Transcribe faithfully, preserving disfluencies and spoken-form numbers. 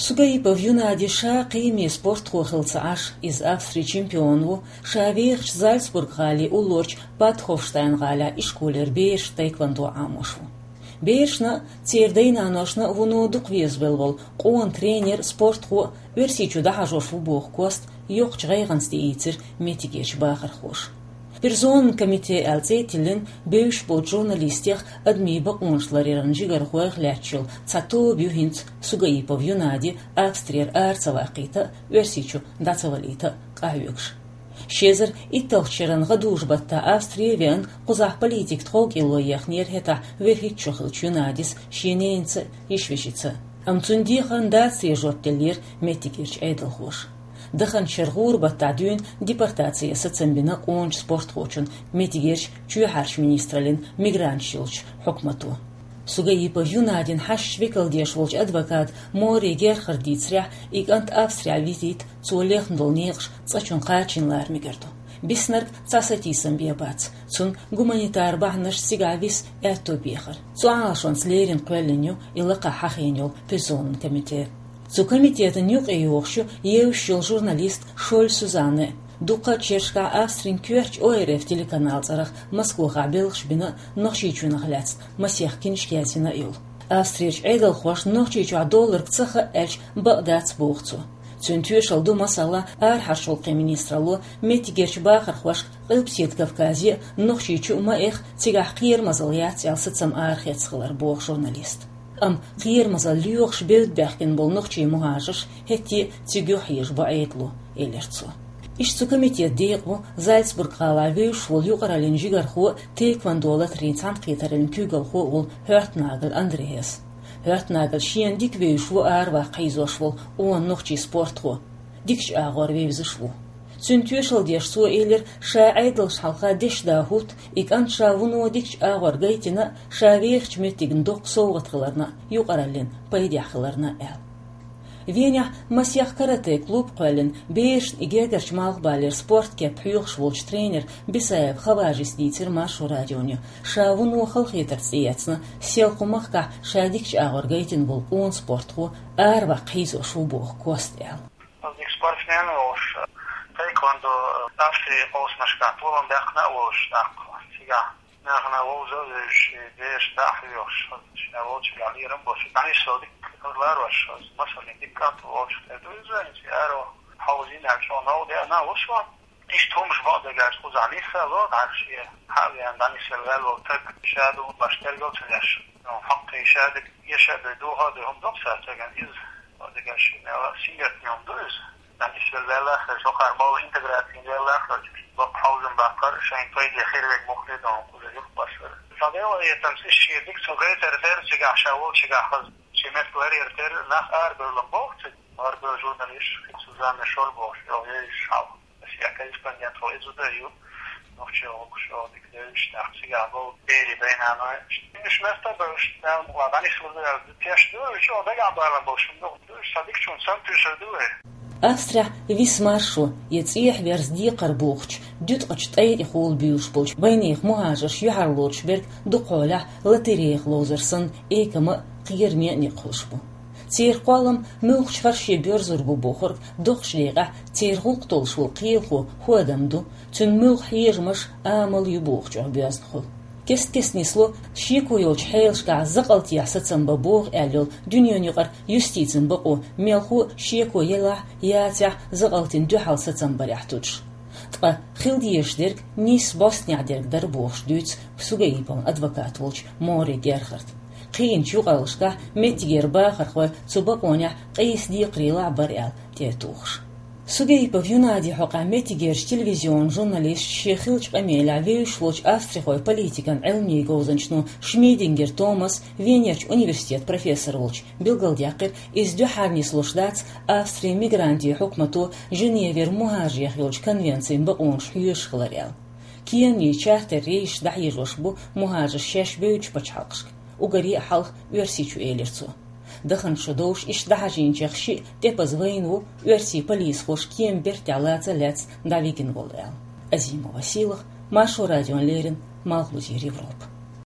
Сугаипов Юнади ша кхиаме спортхо хилла ца Ӏаш, иза Австрин чемпион ву, ша вехачу Зальцбург-гӀалин уллорчу Бад-Хофштайн-гӀалахь ишколера бераш тхэквондо Ӏамош ву. Берашна а, церан дай-наношна а вуно дукха везавелла волу къона тренер, спортхо а Оьрсийчу дӀахьажош ву боху кост йоккхачу гӀайгӀанца тӀеийцира меттигерчу бахархоша. Персонан комитет аьлла цӀе а тиллина, бевзаш болчу журналистех, адамийн бакъонаш ларъяран жигархойх лаьтташ йолу цхьа тоба ю хӀинца Сугаипов Юнади Австрера ара ца ваккхийта а, Оьрсийчу дӀа ца валийта а къахьоьгуш. Ши эзар итталгӀачу шеран гӀадужу-баттахь Австри а веана, кхузахь политикан тховкӀело ехнера хӀетахь вуьрхӀитта шо хиллачу Юнадис шен ненаца а, йиша-вешица а. Амма цуьнан дехарна дацаре жоп деллера меттигерчу Ӏедалхоша. Даханчу шеран гӀуран-баттахь дуьйна депортацин сацам бина къоначу спортхочунна меттигерчу чоьхьарчу министраллин мигранташ йолчу хьукмато. Сугаипов Юнадин хьашташ векалдеш волчу адвоката Мори Герхарда дийцарехь, и кӀант Австрехь витийта цо лехна долу некъаш цкъачунна кхачийна лара мегар ду. Биснарг цхьа сатийсам бен бац, цунна гуманитар бахьанаш цигахь виса аьтто бехар. Цу Ӏалашонца леррина кхоьллина ю и лакхахь хьахийна йолу персонан комитет. Цу комитетан юкъе йогӀуш ю евзаш йолу журналист Шоль Сюзанна а. Дуккха а шерашкахь Австрин коьртачу О Р Ф телеканал цӀарах Москвахь белхаш бина а, Нохчийчоьнах лаьцна масех киншка язйина а йолу. Австрерчу Ӏедалхошна Нохчийчохь долларг ца хаьа аьлча, бакъ дац боху цо. Цуьнан тоьшалла ду, масала, арахьарчу гӀуллакхийн министралло меттигерчу бахархошка Къилбаседа Кавказе а, Нохчийчу а ма эха, цигахь кхерамазалла яц аьлла сацам арахецна хилар, боху журналиста. Амма кхерамазалла лоьхуш бевдда баьхкина болу нохчийн мухӀажарш хӀетте а цига юхахьежа бу Ӏедало, элира цо. Иштта цу комитетан декъа ву Зальцбург-гӀалахь вевзаш волу юкъараллин жигархо а, тхэквондо латарийн цхьаьнакхетараллин куьйгалхо а волу Хёртнагель Андреас. Хёртнагель шена дика вевзаш ву араваккха хьийзош волу къона нохчийн спортхо. Дикачу агӀор вевзаш а ву. Цуьнан тоьшалла деш цо элира, ша Ӏедалшна хьалха дешна да хӀутту, и кӀант ша вуно дикачу агӀор гайтина а, ша вехачу меттигна доккха совгӀат хиларна а, юкъараллина пайдехь хиларна а аьлла. Венехь масех каратэ-клуб кхоьллина, берашна и гергарчу малхбалера спорткеп хьоьхуш волчу тренер Бисаев Хаважис дийцира Маршо радионе, ша вуно халахетарца тӀеэцна, селхо махкахь ша дикачу агӀор гайтина волу къона спортхо араваккха хьийзош ву боху кост аьлла. Ас дика спортсмен а волуш, тхэквондо Австрин къовсамашкахь толам баьккхина а волуш, тӀаккха цигахь нахана вовза а вевзаш, бераш дӀа а хьоьхуш, ша волчуьнгахь лерам а болуш, дӀанисвала дика ларош, масаллин дика кӀант волчух тера ду иза, хӀинца аро хьовзийна аьлча, чӀогӀа новкъа деана а ву суна. Иштта хӀумаш бакъдерг аьлча, кхузахь нисвелла, дӀа шен хьа а веана, дӀанисвелла ваьлла волу стаг ша ду хӀума баш тергал ца деш. Ну, хьакхий ша дерг, эша а бен, доха а бен хӀума ду-кх цара стагана иза. Бакъдерг аьлча, шен мел сингаттаме хӀума ду иза. ДӀанисвелла ваьлла а хилча, хӀокхара бовла интеграцийна ваьлла а хилча, боккха хьовзам баккхар а, шайна пайде хир верг муха дий, ду хӀума кхуза юхабаьхкар. Сан делаэтанца иза шен дика цо гайтар дера, цигахь ша волчигахь хаза шен меттиг ларъяр дера, нах арабевлла боху цига. Арабевлла журналист, Сузанна Шоль бохуш, йо, езаш хьалха. Ас я корреспондент хьо иза ду ю. Нохчий гӀуллакхаш, йо, дика девзаш, нах цигахь болу, берийн дай-наной. Уьш метта а бевзаш, мел ма дӀанисвелла ваьлла теш ду, уьш, йо, дагахь балан болуш, хӀума ду, уьш сан дикачунна сан туьйсур ду вай. Австрехь Висмар шо, я цӀехьаверза декхар бохучу, дуьткъачу тӀай тӀехула буьйлуш болчу вайнехан мухӀажарш юьхьарлоцуш берг дукхахьолахь лотереях ловзар санна, экама а, кхераме а некъ хуьлуш бу. Церан кхоллам муьлххачу хӀорш боьрзур бу бохург доккхачу декъехь церан гӀуллакх толлуш волу кхелахо хӀун адам ду, цуьнан муьлхха хьежамаш, амал ю бохучух боьзна хуьлу. Кест-кеста нисло, шеко йолчу хьелашкахь закъалтехь сацам бан боху аьлла йолу дуьненаюкъара юстицин бакъо, мелхо а шеко елахь, яцахь, закъалтана дуьхьал сацам барехь туьдуш. Ткъа хила дезаш дерг нийсса бӀостанехь дерг дара бохуш дуьйцу Сугаиповн адвокат волчу Мори Герхарда. Кхиъначу юкъараллашкахь меттигера бахархой цу бакъонехь къийса декхарийлахь бара аьлла тӀе а тухуш. Сугаипов Юнади хьокъехь меттигерчу телевизионан журналисташа шен хиллачу къамелехь вевзаш волчу австрихойн политикан Ӏилманийн говзанчано Шмидингер Томаса, Венерчу университетан профессор волчу, билгалдаьккхира, иза дуьххьара нислуш дац Австрин мигрантийн хьукмато Женевера мухӀажарех йолчу конвенцин бакъонаш хьоьжуш хилар аьлла. Кенан чартер рейсаш дӀахьежош бу мухӀажарш шаьш бевддачу пачхьалкхашка, уггаре а хьалха Оьрсийчу, элира цо. Даханчу шо довш иштта дӀахьажийначех шиъ тӀепаза вайна ву, оьрсийн полисхоша кеман бертехь лаца а лаьцна дӀавигна волу аьлла. Азимова Сийлаха, Маршо радиона леррина, Малхбузера Европа.